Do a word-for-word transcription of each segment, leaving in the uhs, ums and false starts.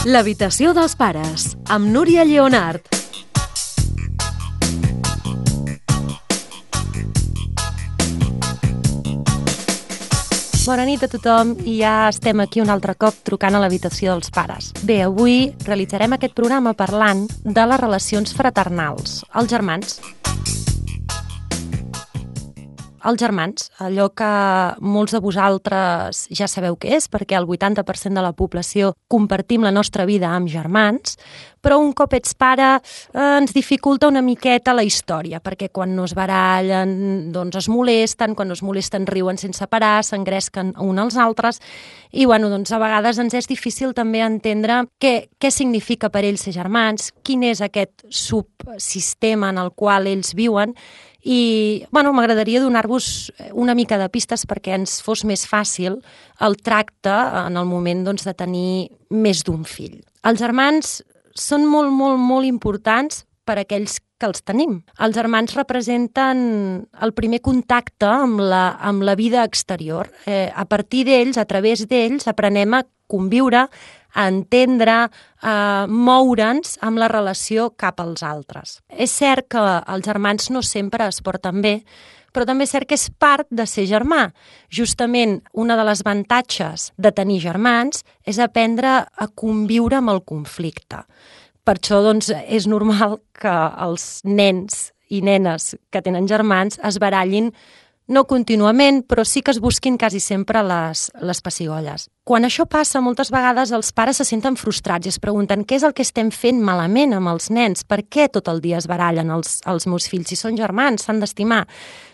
L'habitació dels pares, amb Núria Lleonart. Bona nit a tothom i ja estem aquí un altre cop trucant a l'habitació dels pares. Bé, avui realitzarem aquest programa parlant de les relacions fraternals, els germans. Els germans, allò que molts de vosaltres ja sabeu què és, perquè el vuitanta per cent de la població compartim la nostra vida amb germans, però un cop ets pare eh, ens dificulta una miqueta la història, perquè quan no es barallen doncs es molesten, quan no es molesten riuen sense parar, s'engresquen uns als altres, i bueno, doncs a vegades ens és difícil també entendre què, què significa per ells ser germans, quin és aquest subsistema en el qual ells viuen, i bueno, m'agradaria donar-vos una mica de pistes perquè ens fos més fàcil el tracte en el moment doncs, de tenir més d'un fill. Els germans són molt, molt, molt importants per a aquells que els tenim. Els germans representen el primer contacte amb la, amb la vida exterior. Eh, a partir d'ells, a través d'ells, aprenem a conviure, a entendre, a moure'ns amb la relació cap als altres. És cert que els germans no sempre es porten bé, però també és cert que és part de ser germà. Justament, una de les avantatges de tenir germans és aprendre a conviure amb el conflicte. Per això doncs, és normal que els nens i nenes que tenen germans es barallin no contínuament, però sí que es busquin quasi sempre les, les pessigolles. Quan això passa, moltes vegades els pares se senten frustrats i es pregunten què és el que estem fent malament amb els nens? Per què tot el dia es barallen els, els meus fills? Si són germans, s'han d'estimar.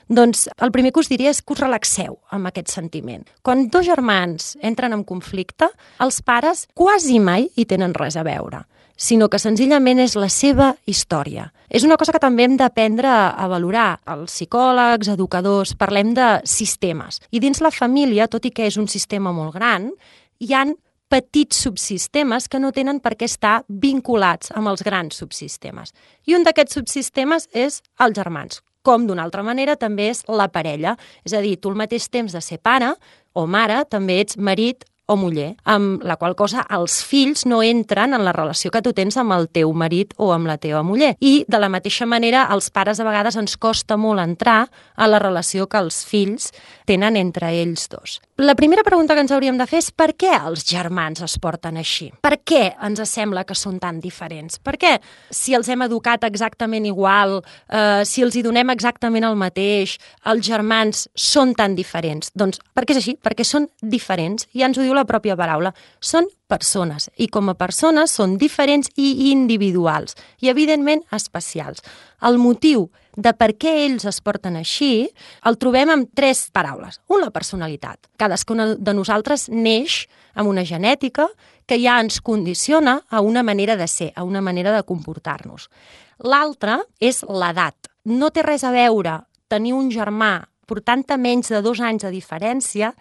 Doncs el primer que us diria és que us relaxeu amb aquest sentiment. Quan dos germans entren en conflicte, els pares quasi mai hi tenen res a veure, sinó que senzillament és la seva història. És una cosa que també hem d'aprendre a valorar. Els psicòlegs, educadors, parlem de sistemes. I dins la família, tot i que és un sistema molt gran, hi han petits subsistemes que no tenen per què estar vinculats amb els grans subsistemes. I un d'aquests subsistemes és els germans, com d'una altra manera també és la parella. És a dir, tu al mateix temps de ser pare o mare també ets marit o muller, amb la qual cosa els fills no entren en la relació que tu tens amb el teu marit o amb la teva muller. I de la mateixa manera, als pares a vegades ens costa molt entrar a la relació que els fills tenen entre ells dos. La primera pregunta que ens hauríem de fer és per què els germans es porten així? Per què ens sembla que són tan diferents? Per què, si els hem educat exactament igual, eh, si els hi donem exactament el mateix, els germans són tan diferents? Doncs perquè és així, perquè són diferents, i ja ens ho diu la pròpia paraula, són persones, i com a persones són diferents i individuals, i evidentment especials. El motiu de per què ells es porten així el trobem amb tres paraules. Un, la personalitat. Cadascuna de nosaltres neix amb una genètica que ja ens condiciona a una manera de ser, a una manera de comportar-nos. L'altre és l'edat. No té res a veure tenir un germà portant-te menys de dos anys de diferència.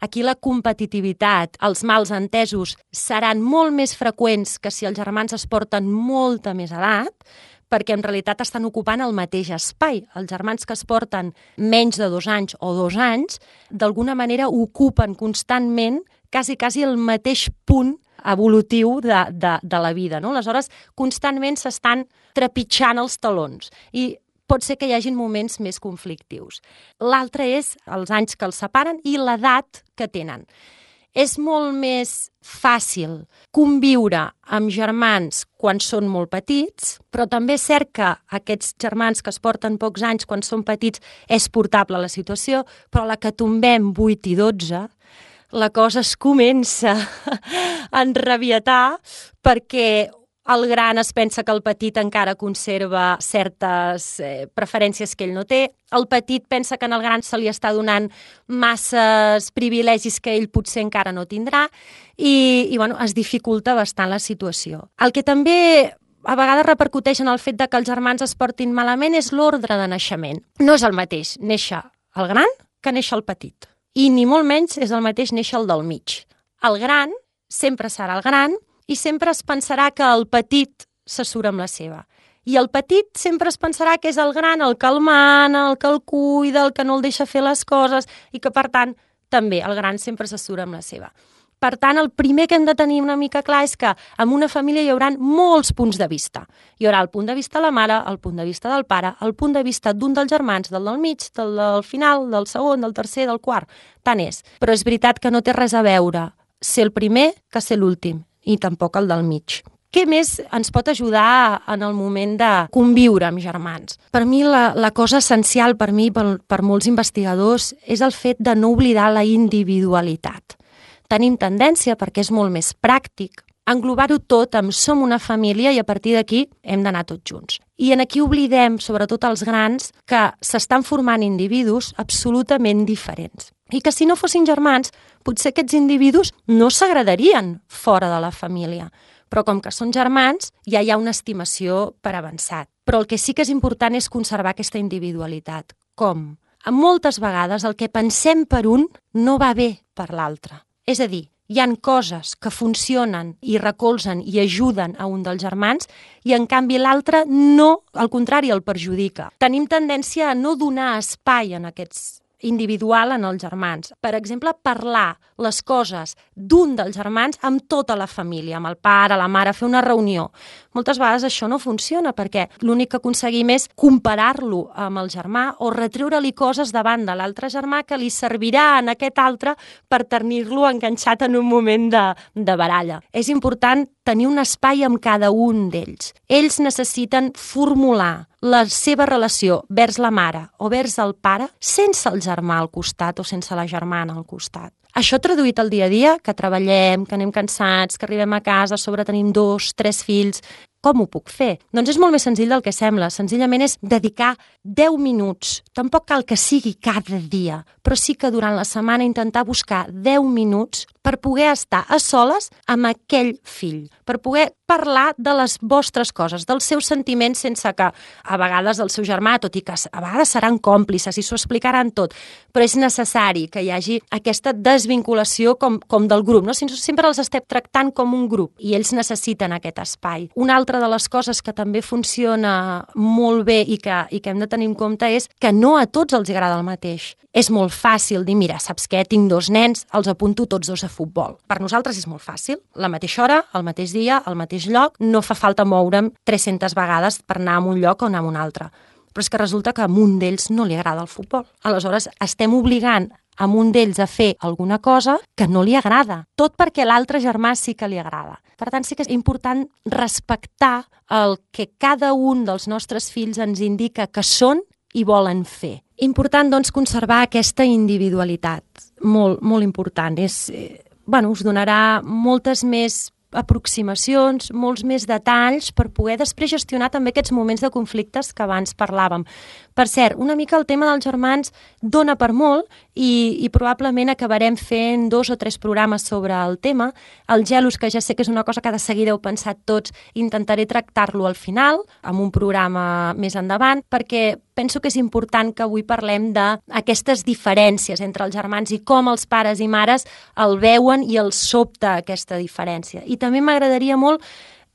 Aquí la competitivitat, els mals entesos seran molt més freqüents que si els germans es porten molta més edat, perquè en realitat estan ocupant el mateix espai. Els germans que es porten menys de dos anys o dos anys, d'alguna manera ocupen constantment quasi, quasi el mateix punt evolutiu de, de, de la vida, no? Aleshores, constantment s'estan trepitjant els talons i pot ser que hi hagin moments més conflictius. L'altre és els anys que els separen i l'edat que tenen. És molt més fàcil conviure amb germans quan són molt petits, però també és cert que aquests germans que es porten pocs anys quan són petits és portable la situació, però la que tombem vuit i dotze, la cosa es comença a enrabietar perquè el gran es pensa que el petit encara conserva certes eh, preferències que ell no té. El petit pensa que en el gran se li està donant masses privilegis que ell potser encara no tindrà i, i bueno, es dificulta bastant la situació. El que també a vegades repercuteix en el fet de que els germans es portin malament és l'ordre de naixement. No és el mateix néixer el gran que néixer el petit. I ni molt menys és el mateix néixer el del mig. El gran sempre serà el gran i sempre es pensarà que el petit se surt amb la seva. I el petit sempre es pensarà que és el gran, el que el mana, el que el cuida, el que no el deixa fer les coses i que, per tant, també el gran sempre se surt amb la seva. Per tant, el primer que hem de tenir una mica clar és que en una família hi haurà molts punts de vista. Hi haurà el punt de vista de la mare, el punt de vista del pare, el punt de vista d'un dels germans, del del mig, del del final, del segon, del tercer, del quart. Tant és. Però és veritat que no té res a veure ser el primer que ser l'últim, i tampoc el del mig. Què més ens pot ajudar en el moment de conviure amb germans? Per mi la, la cosa essencial, per mi, per, per molts investigadors, és el fet de no oblidar la individualitat. Tenim tendència, perquè és molt més pràctic, a englobar-ho tot amb som una família i a partir d'aquí hem d'anar tots junts. I en aquí oblidem, sobretot els grans, que s'estan formant individus absolutament diferents. I que si no fossin germans, potser aquests individus no s'agradarien fora de la família. Però com que són germans, ja hi ha una estimació per avançat. Però el que sí que és important és conservar aquesta individualitat. Com? Moltes vegades el que pensem per un no va bé per l'altre. És a dir, hi han coses que funcionen i recolzen i ajuden a un dels germans i en canvi l'altre no, al contrari, el perjudica. Tenim tendència a no donar espai en aquests individual en els germans. Per exemple, parlar les coses d'un dels germans amb tota la família, amb el pare, la mare, fer una reunió. Moltes vegades això no funciona perquè l'únic que aconseguim és comparar-lo amb el germà o retreure-li coses davant de l'altre germà que li servirà en aquest altre per tenir-lo enganxat en un moment de, de baralla. És important tenir un espai amb cada un d'ells. Ells necessiten formular la seva relació vers la mare o vers el pare sense el germà al costat o sense la germana al costat. Això traduït al dia a dia, que treballem, que anem cansats, que arribem a casa, a sobre tenim dos, tres fills, com ho puc fer? Doncs és molt més senzill del que sembla. Senzillament és dedicar deu minuts. Tampoc cal que sigui cada dia, però sí que durant la setmana intentar buscar deu minuts per poder estar a soles amb aquell fill, per poder parlar de les vostres coses, dels seus sentiments, sense que a vegades el seu germà, tot i que a vegades seran còmplices i s'ho explicaran tot, però és necessari que hi hagi aquesta desvinculació com, com del grup, no? Sempre els estem tractant com un grup i ells necessiten aquest espai. Una altra de les coses que també funciona molt bé i que, i que hem de tenir en compte és que no a tots els agrada el mateix. És molt fàcil dir, mira, saps què? Tinc dos nens, els apunto tots dos a futbol. Per nosaltres és molt fàcil. La mateixa hora, el mateix dia, al mateix lloc, no fa falta moure'm tres-centes vegades per anar a un lloc o anar a un altre. Però és que resulta que a un d'ells no li agrada el futbol. Aleshores, estem obligant a un d'ells a fer alguna cosa que no li agrada, tot perquè l'altre germà sí que li agrada. Per tant, sí que és important respectar el que cada un dels nostres fills ens indica que són i volen fer. Important, doncs, conservar aquesta individualitat. Molt, molt important. És, eh, bueno, us donarà moltes més aproximacions, molts més detalls per poder després gestionar també aquests moments de conflictes que abans parlàvem. Per cert, una mica el tema dels germans dona per molt i, i probablement acabarem fent dos o tres programes sobre el tema. El gelos, que ja sé que és una cosa que de seguida heu pensat tots, intentaré tractar-lo al final, amb un programa més endavant, perquè penso que és important que avui parlem d'aquestes diferències entre els germans i com els pares i mares el veuen i els sobta aquesta diferència. I també m'agradaria molt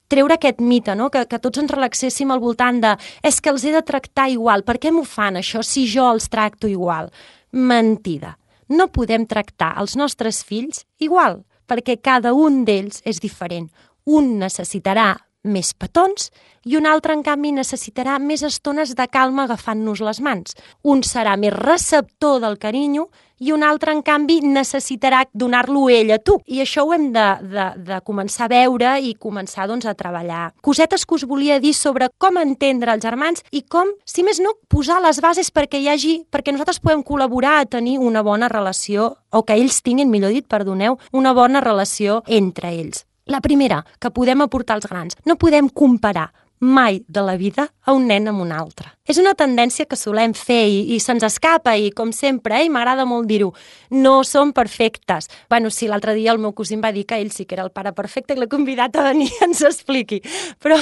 treure aquest mite, no? que, que tots ens relaxéssim al voltant de és que els he de tractar igual, per què m'ho fan això si jo els tracto igual? Mentida. No podem tractar els nostres fills igual, perquè cada un d'ells és diferent. Un necessitarà més petons i un altre, en canvi, necessitarà més estones de calma agafant-nos les mans. Un serà més receptor del carinyo i un altre, en canvi, necessitarà donar-lo ell a tu. I això ho hem de, de, de començar a veure i començar, doncs, a treballar. Cosetes que us volia dir sobre com entendre els germans i com, si més no, posar les bases perquè hi hagi, perquè nosaltres podem col·laborar a tenir una bona relació, o que ells tinguin, millor dit, perdoneu, una bona relació entre ells. La primera, que podem aportar als grans. No podem comparar mai de la vida a un nen amb un altre. És una tendència que solem fer i, i se'ns escapa i, com sempre, eh, m'agrada molt dir-ho, no som perfectes. Bueno, sí, l'altre dia el meu cosí em va dir que ell sí que era el pare perfecte i l'he convidat a venir i ens expliqui. Però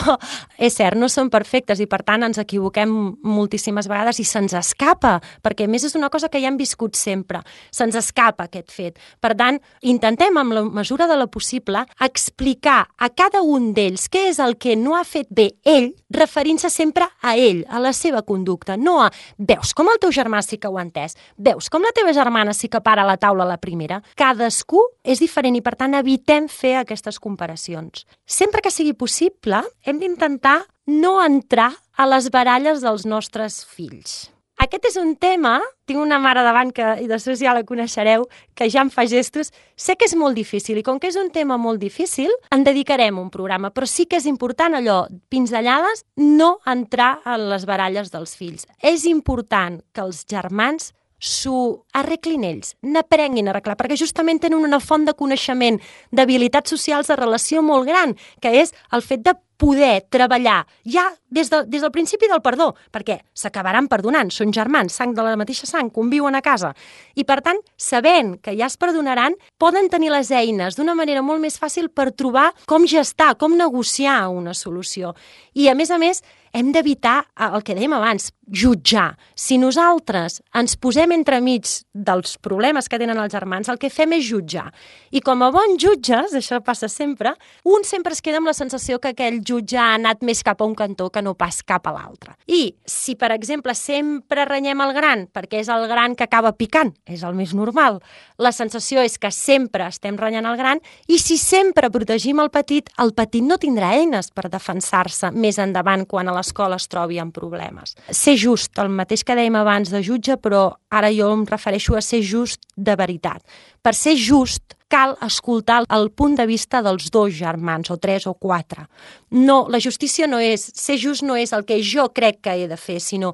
és cert, no som perfectes i, per tant, ens equivoquem moltíssimes vegades i se'ns escapa, perquè a més és una cosa que ja hem viscut sempre. Se'ns escapa aquest fet. Per tant, intentem, amb la mesura de la possible, explicar a cada un d'ells què és el que no ha fet bé ell referint-se sempre a ell, a la seva conducta, no a veus com el teu germà sí que ho ha entès, veus com la teva germana sí que para a la taula a la primera. Cadascú és diferent i, per tant, evitem fer aquestes comparacions. Sempre que sigui possible, hem d'intentar no entrar a les baralles dels nostres fills. Aquest és un tema, tinc una mare davant que, i després ja la coneixereu, que ja em fa gestos. Sé que és molt difícil i com que és un tema molt difícil, en dedicarem un programa, però sí que és important allò, pinzellades, no entrar en les baralles dels fills. És important que els germans s'ho arreglin ells, n'aprenguin a arreglar, perquè justament tenen una font de coneixement, d'habilitats socials de relació molt gran, que és el fet de poder treballar ja des, de, des del principi del perdó, perquè s'acabaran perdonant, són germans, sang de la mateixa sang, conviuen a casa. I, per tant, sabent que ja es perdonaran, poden tenir les eines d'una manera molt més fàcil per trobar com gestar, com negociar una solució. I, a més a més, hem d'evitar el que dèiem abans, jutjar. Si nosaltres ens posem entremig dels problemes que tenen els germans, el que fem és jutjar. I com a bons jutges, això passa sempre, un sempre es queda amb la sensació que aquell jutge ha anat més cap a un cantó que no pas cap a l'altre. I si, per exemple, sempre renyem el gran, perquè és el gran que acaba picant, és el més normal, la sensació és que sempre estem renyant el gran, i si sempre protegim el petit, el petit no tindrà eines per defensar-se més endavant quan a l'escola es trobi amb problemes. Ser just, el mateix que dèiem abans de jutge, però ara jo em refereixo a ser just de veritat. Per ser just, cal escoltar el punt de vista dels dos germans, o tres o quatre. No, la justícia no és, ser just no és el que jo crec que he de fer, sinó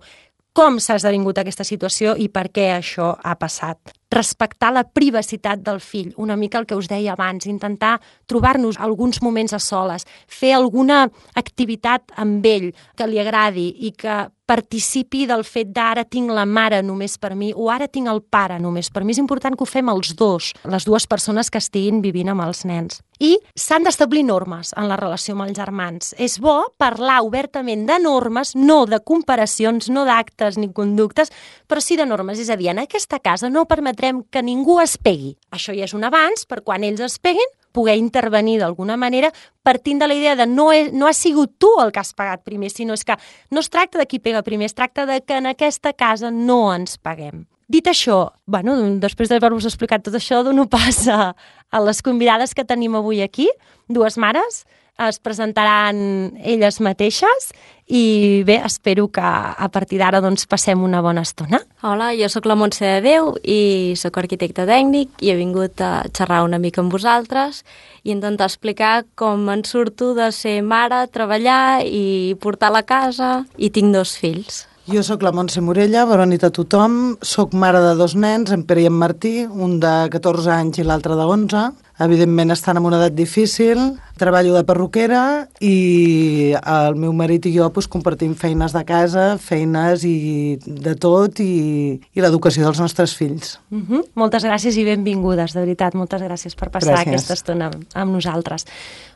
com s'ha esdevingut aquesta situació i per què això ha passat. Respectar la privacitat del fill, una mica el que us deia abans, intentar trobar-nos alguns moments a soles, fer alguna activitat amb ell que li agradi i que participi del fet d'ara tinc la mare només per mi o ara tinc el pare només per mi. És important que ho fem els dos, les dues persones que estiguin vivint amb els nens. I s'han d'establir normes en la relació amb els germans. És bo parlar obertament de normes, no de comparacions, no d'actes ni conductes, però sí de normes. És a dir, en aquesta casa no permetrem que ningú es pegui. Això ja és un avanç per quan ells es peguin, poder intervenir d'alguna manera partint de la idea de no, he, no has sigut tu el que has pagat primer, sinó és que no es tracta de qui pega primer, es tracta de que en aquesta casa no ens paguem. Dit això, bueno, després d'haver-vos explicat tot això, dono pas a, a les convidades que tenim avui aquí, dues mares, es presentaran elles mateixes i bé, espero que a partir d'ara doncs, passem una bona estona. Hola, jo sóc la Montse de Déu i sóc arquitecte tècnic i he vingut a xerrar una mica amb vosaltres i intentar explicar com em surto de ser mare, treballar i portar la casa, i tinc dos fills. Jo sóc la Montse Morella, bona nit a tothom, sóc mare de dos nens, en Pere i en Martí, un de catorze anys i l'altre de onze. Evidentment estan en una edat difícil, treballo de perruquera i el meu marit i jo doncs, compartim feines de casa, feines i de tot i, i l'educació dels nostres fills. Uh-huh. Moltes gràcies i benvingudes, de veritat, moltes gràcies per passar gràcies. Aquesta estona amb nosaltres.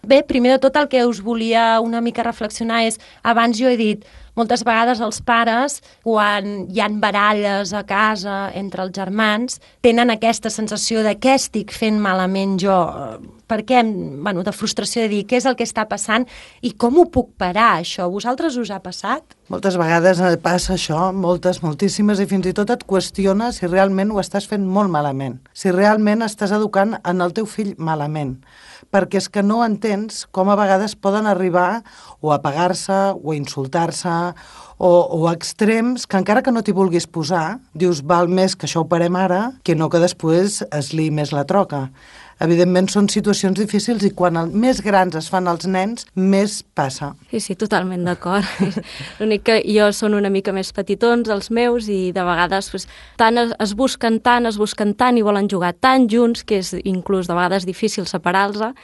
Bé, primer de tot el que us volia una mica reflexionar és, abans jo he dit, moltes vegades els pares, quan hi ha baralles a casa entre els germans, tenen aquesta sensació de què estic fent malament jo, per què, bueno, de frustració de dir què és el que està passant i com ho puc parar, això. Vosaltres us ha passat? Moltes vegades passa això, moltes, moltíssimes, i fins i tot et qüestiones si realment ho estàs fent molt malament, si realment estàs educant en el teu fill malament, perquè és que no entens com a vegades poden arribar o a pegar-se o a insultar-se o, o a extrems que encara que no t'hi vulguis posar, dius val més que això ho parem ara que no que després es liï més la troca. Evidentment són situacions difícils i quan el, més grans es fan els nens, més passa. Sí, sí, totalment d'acord. L'únic que jo són una mica més petitons, els meus, i de vegades pues, tant es, es busquen tant, es busquen tant i volen jugar tan junts que és inclús de vegades difícil separar-los,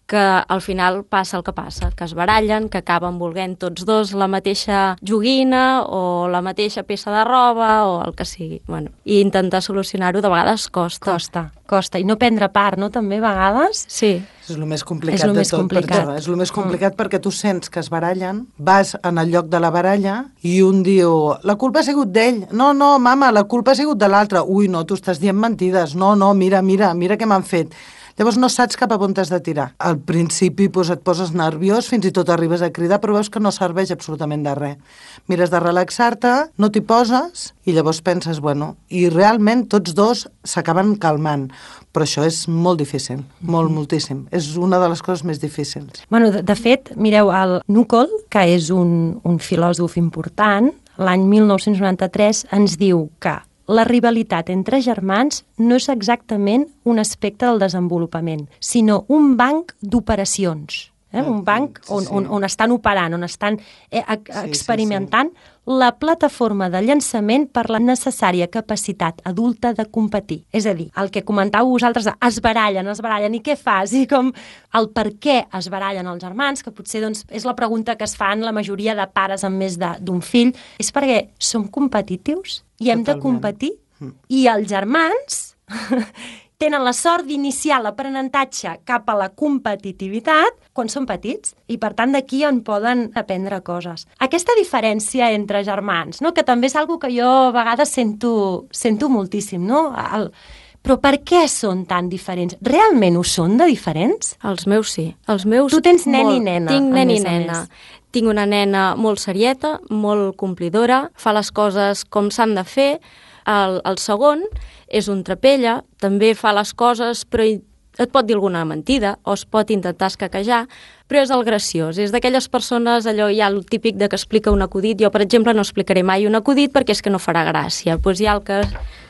que al final passa el que passa, que es barallen, que acaben volent tots dos la mateixa joguina o la mateixa peça de roba o el que sigui. Bueno, i intentar solucionar-ho de vegades costa. Costa, costa. I no prendre part, no? També a vegades? Sí. És el més complicat és el de més tot. Complicat. Per és el més complicat mm. perquè tu sents que es barallen, vas en el lloc de la baralla i un diu, la culpa ha sigut d'ell. No, no, mama, la culpa ha sigut de l'altre. Ui, no, tu estàs dient mentides. No, no, mira, mira, mira què m'han fet. Llavors no saps cap a on t'has de tirar. Al principi doncs, et poses nerviós, fins i tot arribes a cridar, però veus que no serveix absolutament de res. Mires de relaxar-te, no t'hi poses, i llavors penses, bueno, i realment tots dos s'acaben calmant. Però això és molt difícil, molt, mm-hmm. moltíssim. És una de les coses més difícils. Bueno, de, de fet, mireu, el Nucol, que és un, un filòsof important, l'any mil nou-cents noranta-tres ens diu que la rivalitat entre germans no és exactament un aspecte del desenvolupament, sinó un banc d'operacions. Eh? Un banc on, on, on estan operant, on estan eh, experimentant sí, sí, sí. la plataforma de llançament per la necessària capacitat adulta de competir. És a dir, el que comentàveu vosaltres, es barallen, es barallen, i què fas? I com el per què es barallen els germans, que potser doncs, és la pregunta que es fan la majoria de pares amb més d'un fill, és perquè som competitius i hem Totalment. de competir. Mm. I els germans tenen la sort d'iniciar l'aprenentatge cap a la competitivitat quan són petits i, per tant, d'aquí en poden aprendre coses. Aquesta diferència entre germans, no? Que també és una que jo a vegades sento, sento moltíssim, no? El... Però per què són tan diferents? Realment ho són de diferents? Els meus sí. Els meus tu tens nen molt... i nena. Tinc nen i nena. Tinc una nena molt serieta, molt complidora, fa les coses com s'han de fer. El, el segon és un trapella, també fa les coses, però et pot dir alguna mentida o es pot intentar escaquejar, però és el graciós. És d'aquelles persones, allò hi ha el típic de que explica un acudit. Jo, per exemple, no explicaré mai un acudit perquè és que no farà gràcia. Doncs hi ha el que,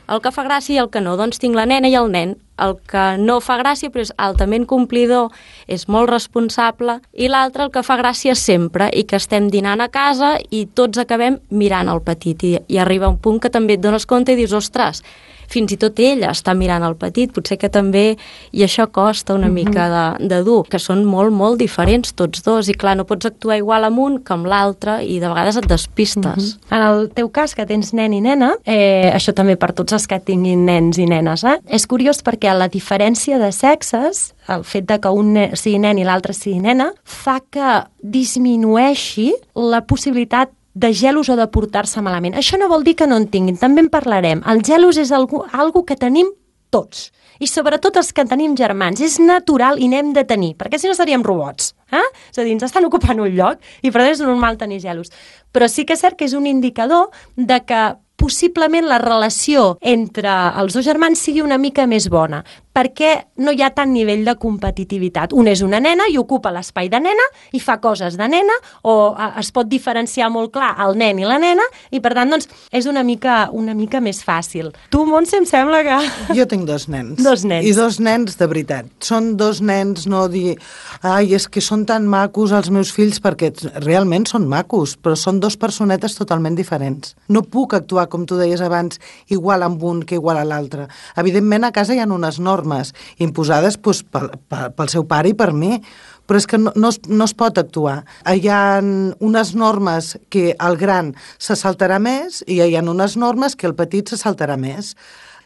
el que fa gràcia i el que no. Doncs tinc la nena i el nen. El que no fa gràcia, però és altament complidor, és molt responsable, i l'altre el que fa gràcia sempre, i que estem dinant a casa i tots acabem mirant el petit. I, i arriba un punt que també et dones compte i dius, ostres, fins i tot ella està mirant el petit, potser que també, i això costa una mm-hmm. mica de, de dur, que són molt, molt diferents tots dos, i clar, no pots actuar igual amb un que amb l'altre, i de vegades et despistes. Mm-hmm. En el teu cas, que tens nen i nena, eh, això també per tots els que tinguin nens i nenes, eh? És curiós perquè la diferència de sexes, el fet de que un nen sigui nen i l'altre sigui nena, fa que disminueixi la possibilitat de gelos o de portar-se malament. Això no vol dir que no en tinguin, també en parlarem. El gelos és algo, algo que tenim tots, i sobretot els que tenim germans. És natural i n'hem de tenir, perquè si no seríem robots. Eh? És a dir, ens estan ocupant un lloc i per tant és normal tenir gelos. Però sí que és cert que és un indicador de que possiblement la relació entre els dos germans sigui una mica més bona, perquè no hi ha tant nivell de competitivitat. Un és una nena i ocupa l'espai de nena i fa coses de nena, o es pot diferenciar molt clar el nen i la nena, i per tant doncs, és una mica, una mica més fàcil. Tu, Montse, em sembla que... Jo tinc dos nens. Dos nens. I dos nens de veritat. Són dos nens, no dir, ai, és que són tan macos els meus fills, perquè realment són macos, però són dos personetes totalment diferents. No puc actuar, com tu deies abans, igual amb un que igual a l'altre. Evidentment, a casa hi ha unes normes imposades doncs, pel, pel, pel seu pare i per mi, però és que no, no, es, no es pot actuar. Hi ha unes normes que el gran se saltarà més i hi ha unes normes que el petit se saltarà més.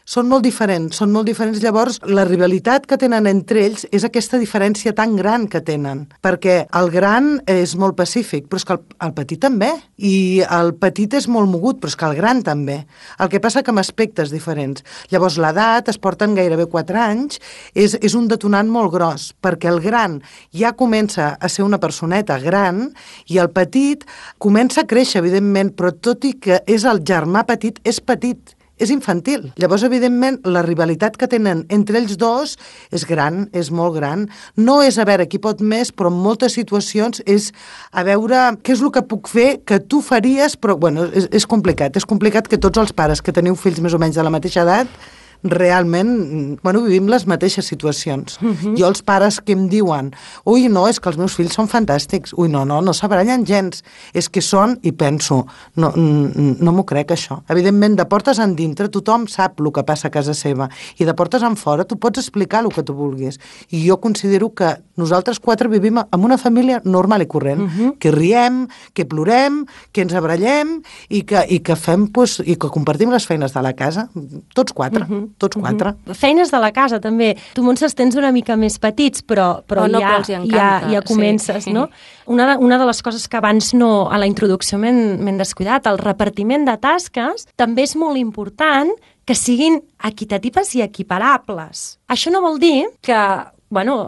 Són molt diferents, són molt diferents. Llavors, la rivalitat que tenen entre ells és aquesta diferència tan gran que tenen, perquè el gran és molt pacífic, però és que el, el petit també, i el petit és molt mogut, però és que el gran també. El que passa que amb aspectes diferents. Llavors, l'edat, es porten gairebé quatre anys, és, és un detonant molt gros, perquè el gran ja comença a ser una personeta gran i el petit comença a créixer, evidentment, però tot i que és el germà petit, és petit. És infantil. Llavors, evidentment, la rivalitat que tenen entre ells dos és gran, és molt gran. No és a veure qui pot més, però en moltes situacions és a veure què és el que puc fer que tu faries, però, bueno, és, és complicat. És complicat que tots els pares que teniu fills més o menys de la mateixa edat realment, bueno, vivim les mateixes situacions. Uh-huh. Jo els pares que em diuen, ui, no, és que els meus fills són fantàstics, ui, no, no, no s'abarallen gens, és que són, i penso, no, no m'ho crec això. Evidentment, de portes en dintre, tothom sap el que passa a casa seva, i de portes en fora tu pots explicar el que tu vulguis. I jo considero que nosaltres quatre vivim en una família normal i corrent, uh-huh. que riem, que plorem, que ens abrallem, i que, i que fem, pues, i que compartim les feines de la casa, tots quatre. Uh-huh. Tots quatre. Uh-huh. Feines de la casa, també. Tu, Montse, els tens una mica més petits, però, però oh, no, ja, però ja, ja comences, sí. no? Una de, una de les coses que abans no, a la introducció m'hem descuidat, el repartiment de tasques, també és molt important que siguin equitatives i equiparables. Això no vol dir que bueno,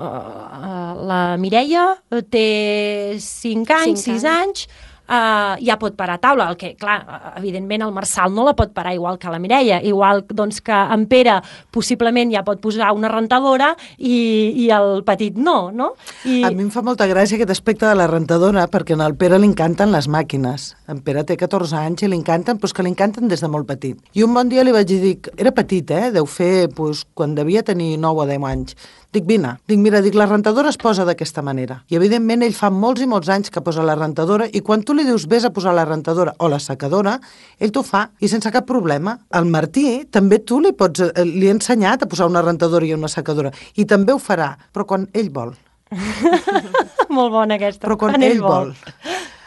la Mireia té cinc anys, sis anys, Uh, ja pot parar a taula, el que, clar, evidentment el Marçal no la pot parar igual que la Mireia, igual doncs, que en Pere possiblement ja pot posar una rentadora i, i el petit no, no? I... A mi em fa molta gràcia aquest aspecte de la rentadora, perquè al Pere li encanten les màquines. En Pere té catorze anys i li encanten, però és que li encanten des de molt petit. I un bon dia li vaig dir, era petit, eh? Deu fer, doncs, quan devia tenir nou o deu anys. Dic, vine, dic, mira, dic, la rentadora es posa d'aquesta manera. I, evidentment, ell fa molts i molts anys que posa la rentadora i quan tu li dius, vés a posar la rentadora o la secadora, ell t'ho fa i sense cap problema. El Martí, també tu li pots, li he ensenyat a posar una rentadora i una secadora i també ho farà, però quan ell vol. Molt bona aquesta. Però quan, quan ell, ell vol. vol.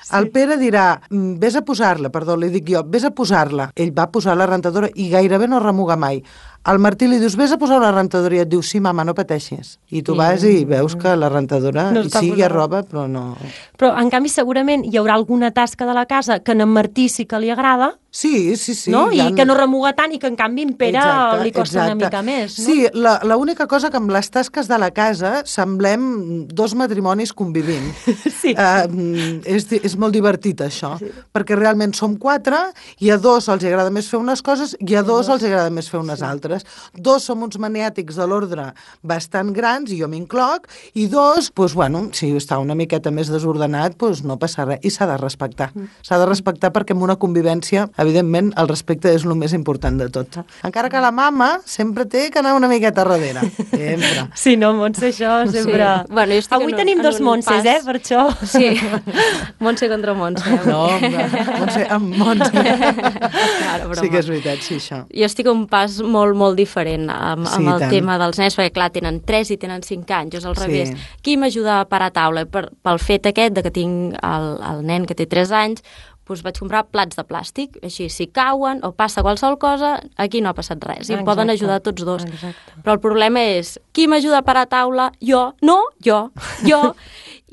Sí. El Pere dirà, vés a posar-la, perdó, li dic jo, vés a posar-la. Ell va posar la rentadora i gairebé no remuga mai. Al Martí li dius, vés a posar una rentadora i et diu, sí, mama, no pateixis. I tu sí. vas i veus que la rentadora, no sí, hi ha roba, però no... Però, en canvi, segurament hi haurà alguna tasca de la casa que en Martí sí que li agrada, sí, sí, sí, no? I han... que no remuga tant i que, en canvi, en Pere exacte, li costa exacte. una mica més. No? Sí, l'única cosa que amb les tasques de la casa semblem dos matrimonis convivint. Sí. Uh, és, és molt divertit, això, sí. perquè realment som quatre i a dos els agrada més fer unes coses i a dos els agrada més fer unes sí. altres. Dos som uns maniàtics de l'ordre bastant grans, i jo m'incloc, i dos, doncs, bueno, si està una miqueta més desordenat, doncs no passa res, i s'ha de respectar. S'ha de respectar perquè en una convivència, evidentment, el respecte és el més important de tot. Encara que la mama sempre té que anar una miqueta darrere. Sempre. Sí, no, Montse, això sempre... Sí. Bueno, avui un, tenim dos Montses, eh, per això. Sí, Montse contra Montse. No, Montse amb Montse. Claro, sí que és veritat, sí, això. Jo estic un pas molt, molt diferent amb, amb sí, el tant. tema dels nens, perquè clar, tenen tres i tenen cinc anys, és al revés. Sí. Qui m'ajuda a parar a taula? Per, pel fet aquest de que tinc el, el nen que té tres anys, doncs vaig comprar plats de plàstic, així, si cauen o passa qualsevol cosa, aquí no ha passat res, i em poden ajudar tots dos. Exacte. Però el problema és, qui m'ajuda a parar a taula? Jo. No, jo. Jo.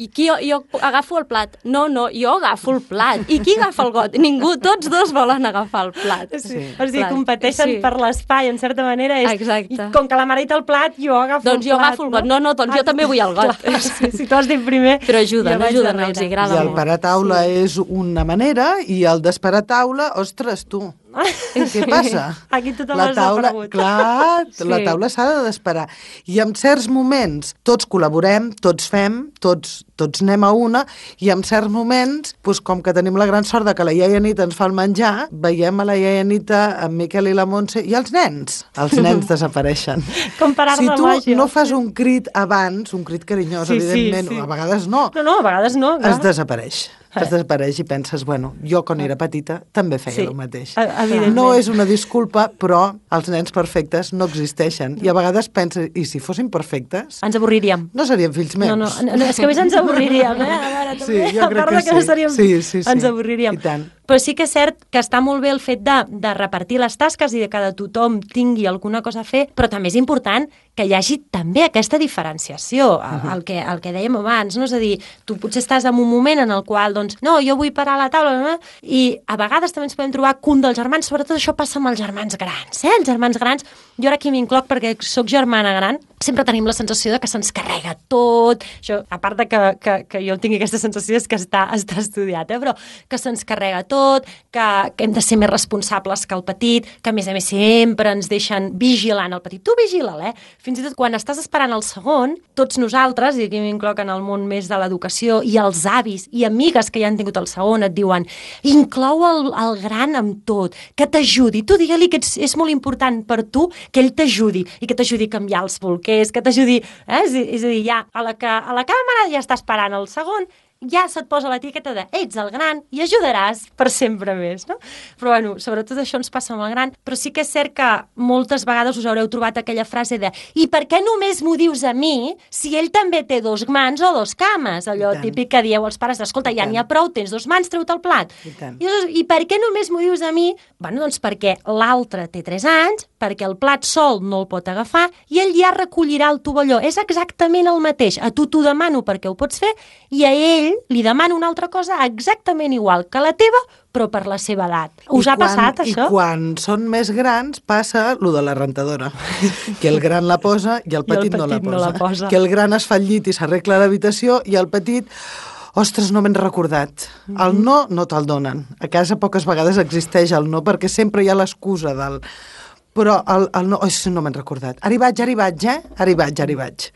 I qui, jo, jo agafo el plat. No, no, jo agafo el plat. I qui agafa el got? Ningú, tots dos volen agafar el plat. Sí. Sí. O sigui, competeixen sí. per l'espai, en certa manera. És, exacte. I com que la mare ha dit el plat, jo agafo doncs el plat. Doncs jo agafo el got. No, no, doncs ah, jo també vull el got. Clar, sí, si tu has dit primer... Però ajuden, ajuden, els agrada molt. I el parar taula sí. és una manera, i el desparar taula, ostres, tu... Què passa? Aquí tothom la taula, desaparegut. clar, sí. la taula s'ha de desparar. I en certs moments tots col·laborem, tots fem, tots, tots anem a una, i en certs moments, doncs, com que tenim la gran sort de que la iaia Anita ens fa el menjar, veiem a la iaia Anita, en Miquel i la Montse, i els nens, els nens desapareixen. Com per art si de tu màgia. no fas un crit abans, un crit carinyós, sí, evidentment, sí, sí. a vegades no. No, no, a vegades no. Clar. Es desapareix. Es desapareix i penses, bueno, jo quan era petita també feia sí, el mateix. Evidentment. No és una disculpa, però els nens perfectes no existeixen. I a vegades penses, i si fossin perfectes... Ens avorriríem. No serien fills meus. No, no, no és que més ens avorriríem, eh? A veure, també, sí, jo a part crec que, que no seríem sí. Sí, sí, sí. ens avorriríem. I tant. Però sí que és cert que està molt bé el fet de, de repartir les tasques i de que de tothom tingui alguna cosa a fer, però també és important que hi hagi també aquesta diferenciació, el, el, que, el que dèiem abans, no? És a dir, tu potser estàs en un moment en el qual, doncs, no, jo vull parar a la taula, no? I a vegades també ens podem trobar que un dels germans, sobretot això passa amb els germans grans, eh? Els germans grans, jo ara aquí m'incloc perquè sóc germana gran, sempre tenim la sensació de que se'ns carrega tot, això, a part de que, que, que jo tingui aquesta sensació és que està, està estudiat, eh? Però que se'ns carrega tot, que, que hem de ser més responsables que el petit, que a més a més sempre ens deixen vigilant el petit. Tu vigila'l, eh? Fins i tot quan estàs esperant el segon, tots nosaltres, i aquí m'incloc en el món més de l'educació, i els avis i amigues que ja han tingut el segon, et diuen, inclou el, el gran amb tot, que t'ajudi. Tu digue-li que ets, és molt important per tu que ell t'ajudi, i que t'ajudi a canviar els bolquers, que t'ajudi... Eh? És, és a dir, ja, a la, que, a la càmera ja està esperant el segon, ja se't posa l'etiqueta de ets el gran i ajudaràs per sempre més, no? Però, bueno, sobretot això ens passa amb el gran, però sí que és cert que moltes vegades us haureu trobat aquella frase de i per què només m'ho dius a mi si ell també té dos mans o dos cames? Allò típic que dieu als pares, escolta, ja n'hi ha prou, tens dos mans, treu-te el plat. I, I, I per què només m'ho dius a mi? Bueno, doncs perquè l'altre té tres anys, perquè el plat sol no el pot agafar i ell ja recollirà el tovalló. És exactament el mateix. A tu t'ho demano perquè ho pots fer i a ell fill li demana una altra cosa exactament igual que la teva, però per la seva edat. Us I ha quan, passat, això? I quan són més grans passa lo de la rentadora, que el gran la posa i el petit, I el petit no, la posa. no la posa. Que el gran es fa el llit i s'arregla l'habitació i el petit... Ostres, no m'he recordat. El no no te'l donen. A casa poques vegades existeix el no perquè sempre hi ha l'excusa del... Però el, el no... Oh, no m'he recordat. Ara hi vaig, ara hi vaig, eh? Ara hi vaig, ara hi vaig.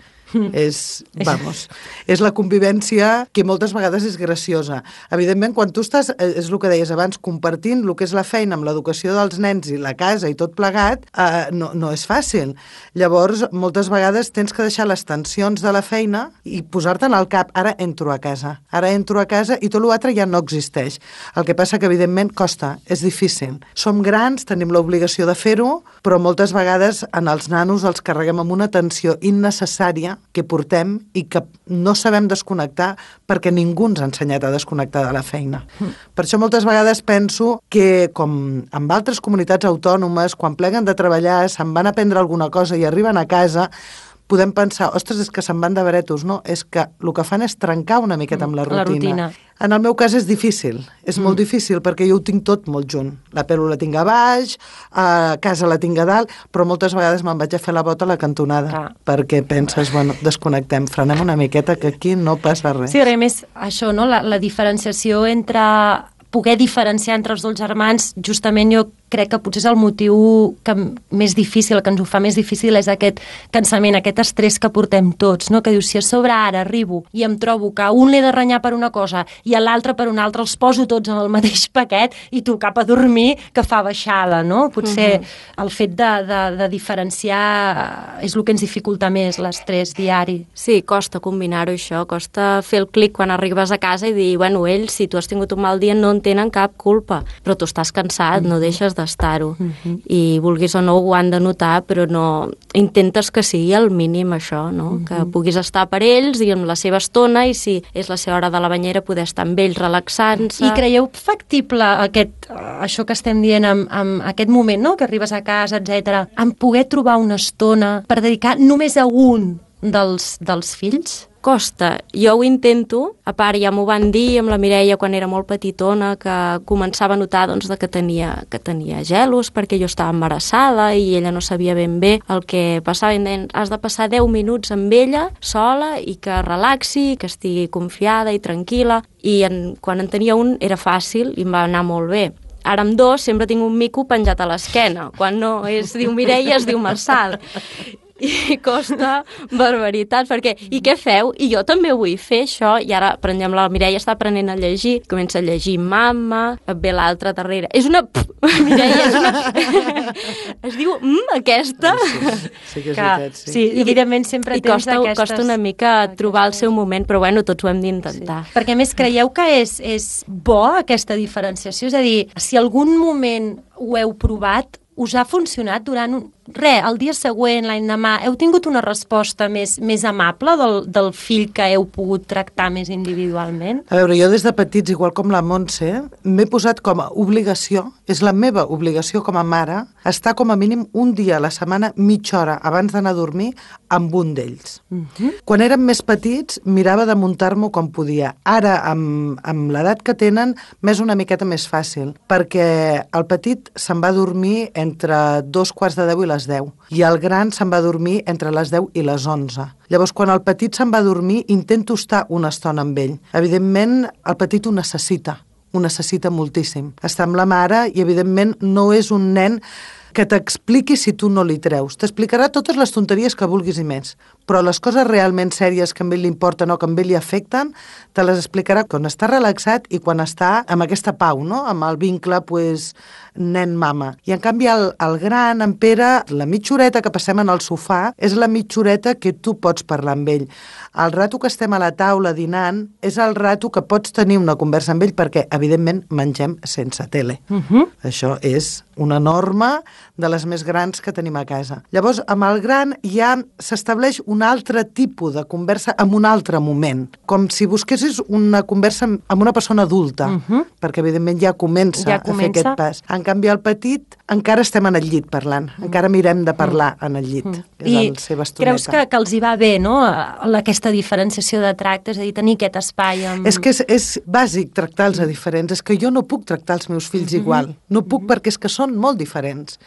és, vamos, és la convivència que moltes vegades és graciosa. Evidentment, quan tu estàs, és el que deies abans, compartint el que és la feina amb l'educació dels nens i la casa i tot plegat, eh, no, no és fàcil. Llavors, moltes vegades tens que deixar les tensions de la feina i posar-te'n al cap, ara entro a casa, ara entro a casa i tot l'altre ja no existeix. El que passa que, evidentment, costa, és difícil. Som grans, tenim l'obligació de fer-ho, però moltes vegades en els nanos els carreguem amb una tensió innecessària que portem i que no sabem desconnectar perquè ningú ens ha ensenyat a desconnectar de la feina. Mm. Per això moltes vegades penso que, com amb altres comunitats autònomes, quan pleguen de treballar, se'n van a prendre alguna cosa i arriben a casa, podem pensar, ostres, és que se'n van de baretos. No, és que el que fan és trencar una miqueta amb la rutina. La rutina. En el meu cas és difícil, és mm. molt difícil, perquè jo ho tinc tot molt junt. La pelo la tinc a baix, a casa la tinc a dalt, però moltes vegades me'n vaig a fer la bota a la cantonada, ah. perquè penses, bueno, desconnectem, frenem una miqueta, que aquí no passa res. Sí, a més, això, no? la, la diferenciació entre... poder diferenciar entre els dos germans, justament jo crec que potser és el motiu que més difícil, que ens ho fa més difícil, és aquest cansament, aquest estrès que portem tots, no? Que dius, si a sobre ara arribo i em trobo que un l'he de renyar per una cosa i a l'altre per una altra, els poso tots en el mateix paquet i tu cap a dormir, que fa baixada, no? Potser uh-huh. el fet de, de, de diferenciar és el que ens dificulta més l'estrès diari. Sí, costa combinar-ho, això, costa fer el clic quan arribes a casa i dir, bueno, ells, si tu has tingut un mal dia, no en tenen cap culpa, però tu estàs cansat, uh-huh. no deixes d'estar-ho, uh-huh. i vulguis o no ho han de notar, però no intentes que sigui el mínim això, no? Uh-huh. Que puguis estar per ells i amb la seva estona, i si és la seva hora de la banyera poder estar amb ells relaxant-se. I creieu factible aquest, això que estem dient amb, amb aquest moment, no? Que arribes a casa, etcètera, en poder trobar una estona per dedicar només a un dels, dels fills? Costa. Jo ho intento, a part ja m'ho van dir amb la Mireia quan era molt petitona, que començava a notar doncs, que, tenia, que tenia gelos perquè jo estava embarassada i ella no sabia ben bé el que passava. I deien, has de passar deu minuts amb ella sola i que relaxi, que estigui confiada i tranquil·la. I en, quan en tenia un era fàcil i em va anar molt bé. Ara amb dos sempre tinc un mico penjat a l'esquena. Quan no es diu Mireia, es diu Marçal. I costa barbaritat, perquè i què feu? I jo també vull fer això, i ara, per exemple, la Mireia està aprenent a llegir, comença a llegir Mama, et ve l'altra darrere, és una Mireia, és una es diu mm, aquesta sí, sí que és veritat, sí. Sí, evidentment sempre I tens costa, aquestes... costa una mica trobar el seu moment, però bueno, tots ho hem d'intentar. Sí. Perquè més creieu que és, és bo aquesta diferenciació? És a dir, si algun moment ho heu provat, us ha funcionat durant un... Re, el dia següent, l'endemà, heu tingut una resposta més, més amable del, del fill que heu pogut tractar més individualment? A veure, jo des de petits, igual com la Montse, m'he posat com a obligació, és la meva obligació com a mare, estar com a mínim un dia a la setmana, mitja hora, abans d'anar a dormir, amb un d'ells. Uh-huh. Quan érem més petits, mirava de muntar-m'ho com podia. Ara, amb, amb l'edat que tenen, m'és una miqueta més fàcil, perquè el petit se'n va dormir entre dos quarts de deu i les deu, i el gran se'n va dormir entre les deu i les onze. Llavors, quan el petit se'n va dormir, intento estar una estona amb ell. Evidentment, el petit ho necessita, ho necessita moltíssim. Està amb la mare i, evidentment, no és un nen que t'expliqui si tu no li treus. T'explicarà totes les tonteries que vulguis i més, però les coses realment sèries que a ell li importen o que a ell li afecten, te les explicarà quan està relaxat i quan està amb aquesta pau, no? Amb el vincle, pues, nen-mama. I en canvi el, el gran, en Pere, la mitja horeta que passem en el sofà és la mitja horeta que tu pots parlar amb ell. El rato que estem a la taula dinant és el rato que pots tenir una conversa amb ell perquè, evidentment, mengem sense tele. Uh-huh. Això és una norma de les més grans que tenim a casa. Llavors, amb el gran ja s'estableix un altre tipus de conversa en un altre moment, com si busquessis una conversa amb una persona adulta, uh -huh. perquè evidentment ja comença, ja a comença fer aquest pas. En canvi, el petit encara estem en el llit parlant, uh -huh. encara mirem de parlar uh -huh. en el llit, uh -huh. que és I el seva estoneta. creus que, que els hi va bé, no?, aquesta diferenciació de tracte, és a dir, tenir aquest espai amb... És que és, és bàsic tractar-los a diferents, és que jo no puc tractar els meus fills uh -huh. igual, no puc uh -huh. perquè és que són molt diferents,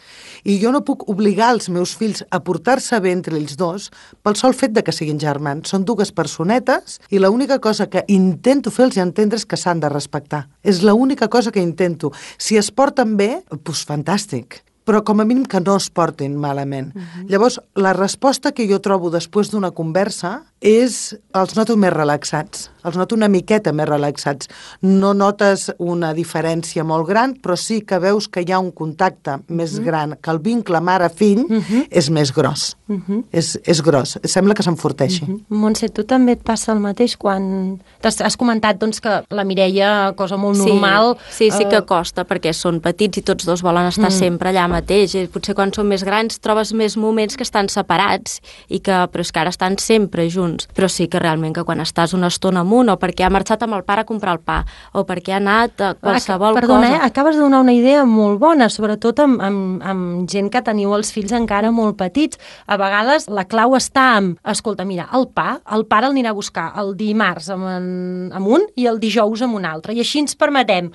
i jo no puc obligar els meus fills a portar-se bé entre ells dos pel sol fet de que siguin germans. Són dues personetes i l'única cosa que intento fer-los entendre és que s'han de respectar. És l'única cosa que intento. Si es porten bé, doncs fantàstic, però com a mínim que no es portin malament. Uh-huh. Llavors, la resposta que jo trobo després d'una conversa és, els noto més relaxats, els noto una miqueta més relaxats. No notes una diferència molt gran, però sí que veus que hi ha un contacte més uh-huh. gran, que el vincle mare-fill uh-huh. és més gros. Uh-huh. És, és gros, sembla que s'enforteixi. Uh-huh. Montse, tu també et passa el mateix quan... Has, has comentat doncs, que la Mireia, cosa molt sí, normal... Sí, sí que costa, perquè són petits i tots dos volen estar mm. sempre allà mateix. I potser quan són més grans trobes més moments que estan separats, i que, però és que ara estan sempre junts. Però sí que realment que quan estàs una estona amunt, o perquè ha marxat amb el pare a comprar el pa, o perquè ha anat a qualsevol ah, perdona, cosa... Eh? Acabes de donar una idea molt bona, sobretot amb, amb, amb gent que teniu els fills encara molt petits. A vegades la clau està en, escolta, mira, el pa, el pare el anirà a buscar el dimarts amb, en, amb un i el dijous amb un altre. I així ens permetem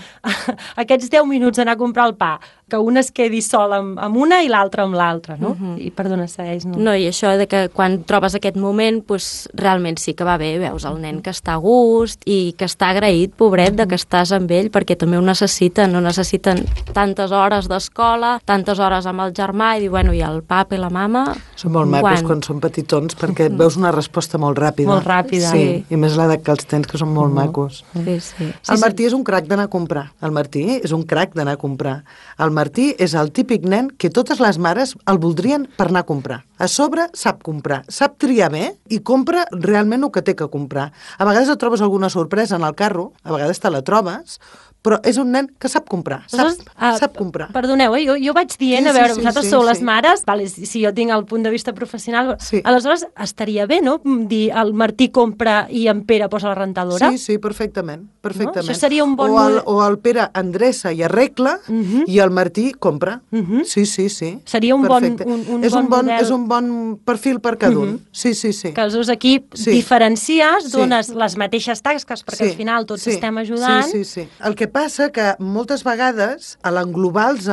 aquests deu minuts d'anar a comprar el pa, que un es quedi sol amb, amb una i l'altre amb l'altra, no? Uh-huh. I perdona, segueix, no? No, i això de que quan trobes aquest moment, doncs realment sí que va bé, veus el nen que està a gust i que està agraït, pobret, de que estàs amb ell, perquè també ho necessiten, no necessiten tantes hores d'escola, tantes hores amb el germà, i dir, bueno, i el papa i la mama... Són molt macos quan, quan són petitons, perquè et veus una resposta molt ràpida. Molt ràpida. Sí, sí. I més l'edat que els tens, que són molt uh-huh. macos. Sí, sí. El Martí és un crac d'anar a comprar. El Martí és un crac d'anar a comprar. El Martí és el típic nen que totes les mares el voldrien per anar a comprar. A sobre sap comprar, sap triar bé i compra realment el que té que comprar. A vegades et trobes alguna sorpresa en el carro, a vegades te la trobes, però és un nen que sap comprar, sap, uh, sap comprar. Perdoneu, eh? jo, jo vaig dient, sí, a veure, sí, sí, vosaltres sí, sou sí. les mares, vale, si, si jo tinc el punt de vista professional, sí. aleshores estaria bé, no?, dir el Martí compra i en Pere posa la rentadora. Sí, sí, perfectament, perfectament. No? Això seria un bon... O el, o el Pere endreça i arregla uh -huh. i el Martí compra. Uh -huh. Sí, sí, sí. Seria un perfecte. bon, un, un és bon un bon model. És un bon perfil per cada un. Uh -huh. Sí, sí, sí. Que els dos equips sí. diferencies, dones sí. les mateixes tasques, perquè sí. al final tots sí. estem ajudant. Sí, sí, sí. El que passa que moltes vegades, a l'englobar-los,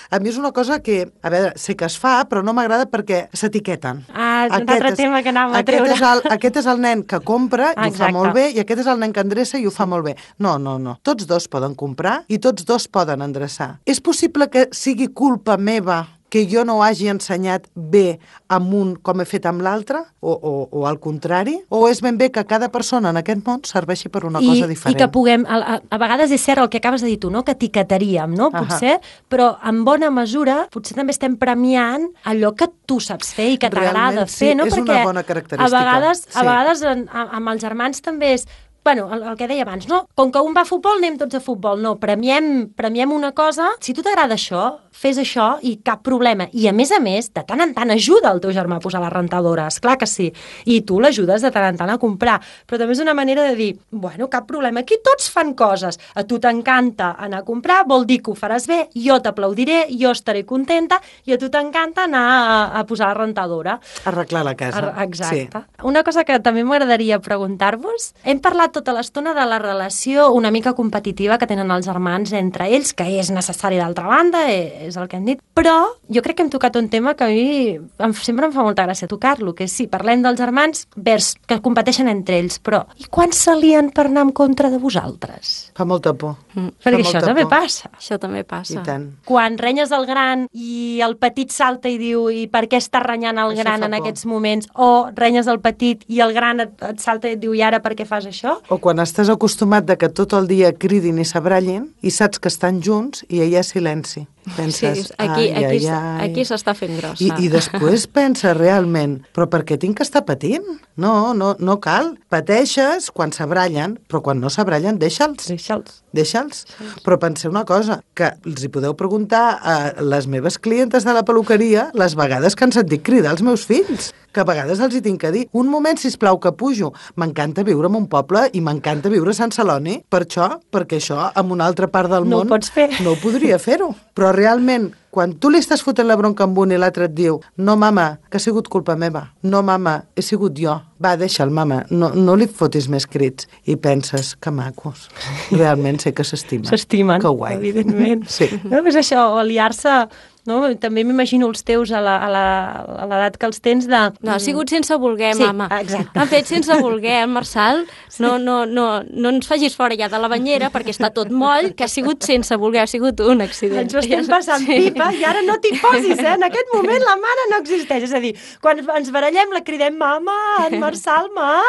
a mi és una cosa que, a veure, sé que es fa, però no m'agrada perquè s'etiqueten. Ah, un altre tema que anàvem a treure. Aquest és, el, aquest és el nen que compra i Exacte. ho fa molt bé, i aquest és el nen que endreça i ho fa molt bé. No, no, no. Tots dos poden comprar i tots dos poden endreçar. És possible que sigui culpa meva que jo no hagi ensenyat bé amb un com he fet amb l'altre, o, o, o al contrari, o és ben bé que cada persona en aquest món serveixi per una I, cosa diferent. I que puguem, a, a, a vegades és cert el que acabes de dir tu, no?, que etiquetaríem, no?, potser, uh-huh. però en bona mesura potser també estem premiant allò que tu saps fer i que t'agrada sí, fer, no? és Perquè una bona característica. a vegades, sí. a vegades en, amb els germans també és... Bueno, el, el que deia abans, no? Com que un va a futbol, anem tots a futbol. No, premiem, premiem una cosa. Si tu t'agrada això, fes això i cap problema. I, a més a més, de tant en tant ajuda el teu germà a posar la rentadora. Esclar que sí. I tu l'ajudes de tant en tant a comprar. Però també és una manera de dir, bueno, cap problema. Aquí tots fan coses. A tu t'encanta anar a comprar, vol dir que ho faràs bé, jo t'aplaudiré, jo estaré contenta, i a tu t'encanta anar a, a posar la rentadora. Arreglar la casa. Ar Exacte. Sí. Una cosa que també m'agradaria preguntar-vos. Hem parlat tota l'estona de la relació una mica competitiva que tenen els germans entre ells, que és necessari d'altra banda, és el que hem dit, però jo crec que hem tocat un tema que a mi em, sempre em fa molta gràcia tocar-lo, que és sí, parlem dels germans vers que competeixen entre ells, però i quan s'alien per anar en contra de vosaltres? Fa molta por. Mm. Perquè això també por. passa. Això també passa. I tant. Quan renyes el gran i el petit salta i diu i per què estàs renyant el Això gran en por. aquests moments, o renyes el petit i el gran et, et salta i et diu i ara per què fas això? O quan estàs acostumat de que tot el dia cridin i s'abrallin i saps que estan junts i hi ha silenci. Penses, sí, aquí, ai, aquí, ai, ai. aquí s'està fent grossa. I, I després penses realment, però per què tinc que estar patint? No, no, no cal. Pateixes quan s'abrallen, però quan no s'abrallen, deixa'ls. Deixa'ls. Deixa'ls. Però penseu una cosa, que els hi podeu preguntar a les meves clientes de la peluqueria les vegades que han sentit cridar els meus fills, que a vegades els hi tinc que dir, un moment, sisplau, que pujo. M'encanta viure en un poble i m'encanta viure a Sant Celoni, per això, perquè això, en una altra part del No món, ho pots fer. no ho podria fer-ho. Però realment, quan tu li estàs fotent la bronca amb un i l'altre et diu, no, mama, que ha sigut culpa meva. No, mama, he sigut jo. Va, deixa'l, mama, no, no li fotis més crits. I penses, que macos. Realment sé que s'estimen. S'estimen, que guai. evidentment. Sí. No, és això, aliar-se... No? També m'imagino els teus a la- a la- a l'edat que els tens de... No, ha sigut sense voler, Sí, mama. exacte. Han fet sense voler, el Marçal. No, no, no, no ens facis fora ja de la banyera perquè està tot moll, que ha sigut sense voler, ha sigut un accident. Ens ho estem passant pipa i ara no t'hi posis, eh? En aquest moment la mare no existeix. És a dir, quan ens barallem la cridem mama, en Marçal, ma,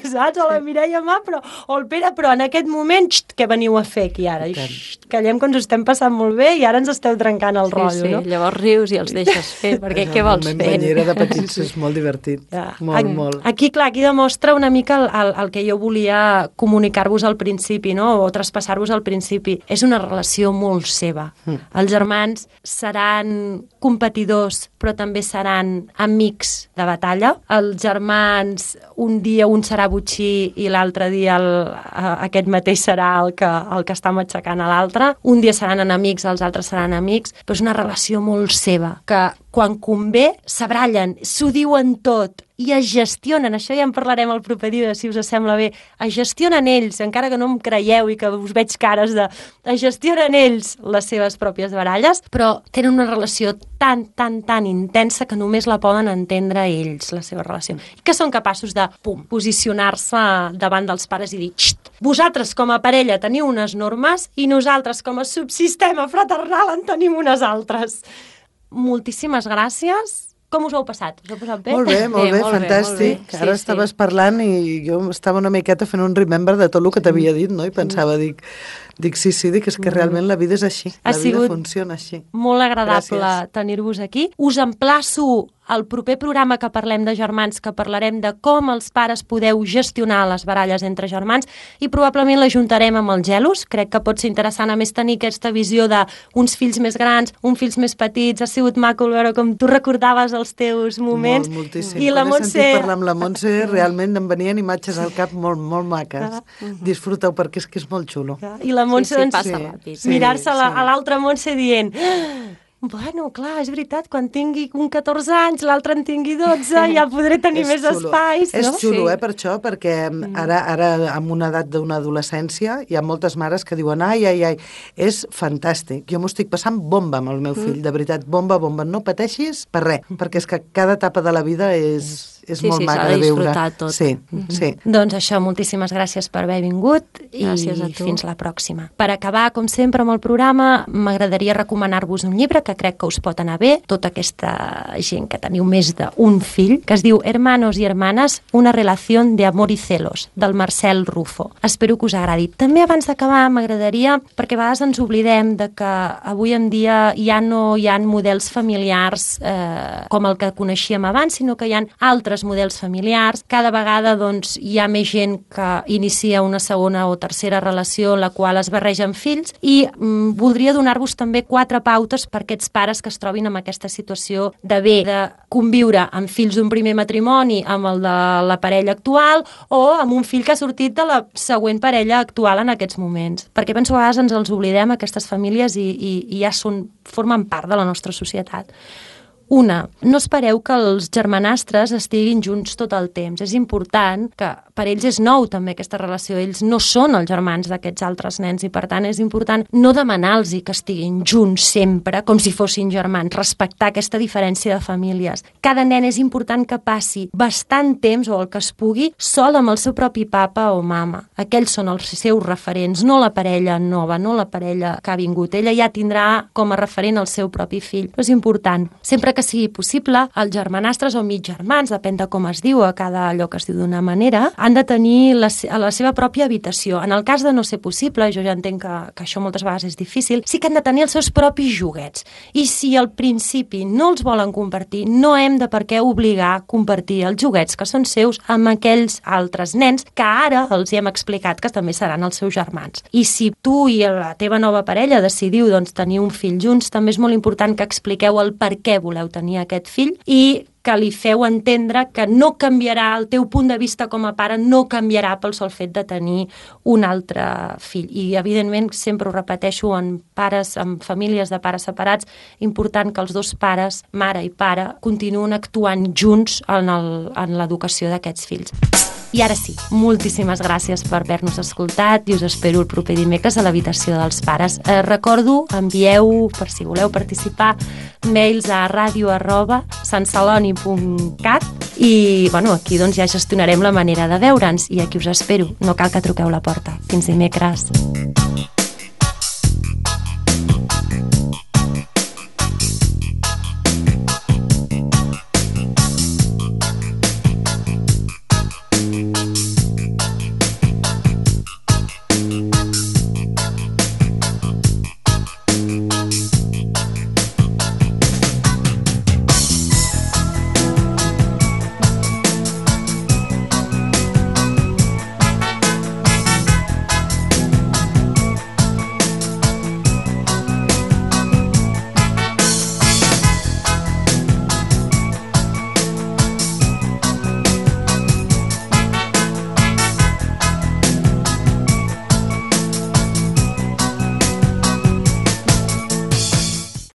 saps? O la Mireia, ma, però, o el Pere, però en aquest moment, xt, què veniu a fer aquí ara? Xt, callem que ens ho estem passant molt bé i ara ens esteu trencant el Sí, rotllo, sí, no? llavors rius i els deixes fer, perquè què vols El moment fer? banyera de petits és molt divertit. Ja. Molt, Aquí, molt. Aquí, clar, aquí demostra una mica el, el, el que jo volia comunicar-vos al principi, no? O traspassar-vos al principi. És una relació molt seva. Mm. Els germans seran competidors, però també seran amics de batalla. Els germans, un dia un serà botxí i l'altre dia el, aquest mateix serà el que, el que està matxacant a l'altre. Un dia seran enemics, els altres seran amics, però és una relació molt seva, que quan convé s'abrallen, s'ho diuen tot i es gestionen, això ja en parlarem el proper dia, si us sembla bé, es gestionen ells, encara que no em creieu i que us veig cares de... es gestionen ells les seves pròpies baralles, però tenen una relació tan, tan, tan intensa que només la poden entendre ells, la seva relació. I que són capaços de, pum, posicionar-se davant dels pares i dir, xt, vosaltres com a parella teniu unes normes i nosaltres com a subsistema fraternal en tenim unes altres. Moltíssimes gràcies. Com us ho heu passat? Us heu passat bé? Molt bé, molt Bé, bé, molt bé, fantàstic. molt bé. Ara Sí, estaves sí. parlant i jo estava una miqueta fent un remember de tot el que t'havia dit, no? I pensava, dic, dic sí, sí, dic, és que realment la vida és així. Ha La vida sigut funciona així. Molt agradable Gràcies. tenir-vos aquí. Us emplaço al proper programa que parlem de germans, que parlarem de com els pares podeu gestionar les baralles entre germans i probablement l'ajuntarem amb els gelos. Crec que pot ser interessant a més tenir aquesta visió d'uns fills més grans, uns fills més petits. Ha sigut maco veure com tu recordaves els teus moments. Molt, moltíssim. I la Quan he Montse... sentit parlar amb la Montse, realment em venien imatges al cap molt, molt maques. Disfruteu perquè és que és molt xulo. I la Montse, Sí, sí, doncs, passa Sí, ràpid. sí. mirar-se a la- a l'altra Montse dient... Bueno, clar, és veritat, quan tingui un catorze anys, l'altre en tingui dotze, ja podré tenir És més xulo. espais, És no? xulo, Sí. eh, per això, perquè ara, ara amb una edat d'una adolescència hi ha moltes mares que diuen ai, ai, ai, és fantàstic. Jo m'ho estic passant bomba amb el meu fill, de veritat, bomba, bomba. No pateixis per res, perquè és que cada etapa de la vida és, és Sí, molt sí, maca s'ha de de veure. disfrutar tot. Sí, sí. Doncs això, moltíssimes gràcies per haver vingut i Gràcies a tu. fins la pròxima. Per acabar, com sempre, amb el programa, m'agradaria recomanar-vos un llibre que crec que us pot anar bé, tota aquesta gent que teniu més d'un fill, que es diu Hermanos y Hermanas, una relación de amor y celos, del Marcel Rufo. Espero que us agradi. També abans d'acabar m'agradaria, perquè a vegades ens oblidem de que avui en dia ja no hi ha models familiars eh, com el que coneixíem abans, sinó que hi ha altres models familiars. Cada vegada doncs, hi ha més gent que inicia una segona o tercera relació en la qual es barregen fills i mm, voldria donar-vos també quatre pautes per aquests pares que es trobin en aquesta situació de bé, de conviure amb fills d'un primer matrimoni amb el de la parella actual o amb un fill que ha sortit de la següent parella actual en aquests moments. Perquè penso que a vegades ens els oblidem, aquestes famílies, i, i, i ja són, formen part de la nostra societat. Una, no espereu que els germanastres estiguin junts tot el temps. És important que per ells és nou també aquesta relació. Ells no són els germans d'aquests altres nens i per tant és important no demanar-los que estiguin junts sempre com si fossin germans, respectar aquesta diferència de famílies. Cada nen és important que passi bastant temps o el que es pugui sol amb el seu propi papa o mama. Aquells són els seus referents, no la parella nova, no la parella que ha vingut. Ella ja tindrà com a referent el seu propi fill. Però és important. Sempre que que sigui possible, els germanastres o mig germans, depèn de com es diu, a cada lloc es diu d'una manera, han de tenir la, la seva pròpia habitació. En el cas de no ser possible, jo ja entenc que, que això moltes vegades és difícil, sí que han de tenir els seus propis joguets. I si al principi no els volen compartir, no hem de per què obligar a compartir els joguets que són seus amb aquells altres nens que ara els hi hem explicat que també seran els seus germans. I si tu i la teva nova parella decidiu doncs, tenir un fill junts, també és molt important que expliqueu el per què voleu tenir aquest fill i que li feu entendre que no canviarà, el teu punt de vista com a pare no canviarà pel sol fet de tenir un altre fill. I, evidentment, sempre ho repeteixo, en pares, en famílies de pares separats, important que els dos pares, mare i pare, continuen actuant junts en el, en l'educació d'aquests fills. I ara sí, moltíssimes gràcies per haver-nos escoltat i us espero el proper dimecres a l'habitació dels pares. Eh, recordo, envieu, per si voleu participar, mails a ràdio arroba santceloni punt cat i bueno, aquí doncs, ja gestionarem la manera de veure'ns i aquí us espero. No cal que truqueu la porta. Fins dimecres.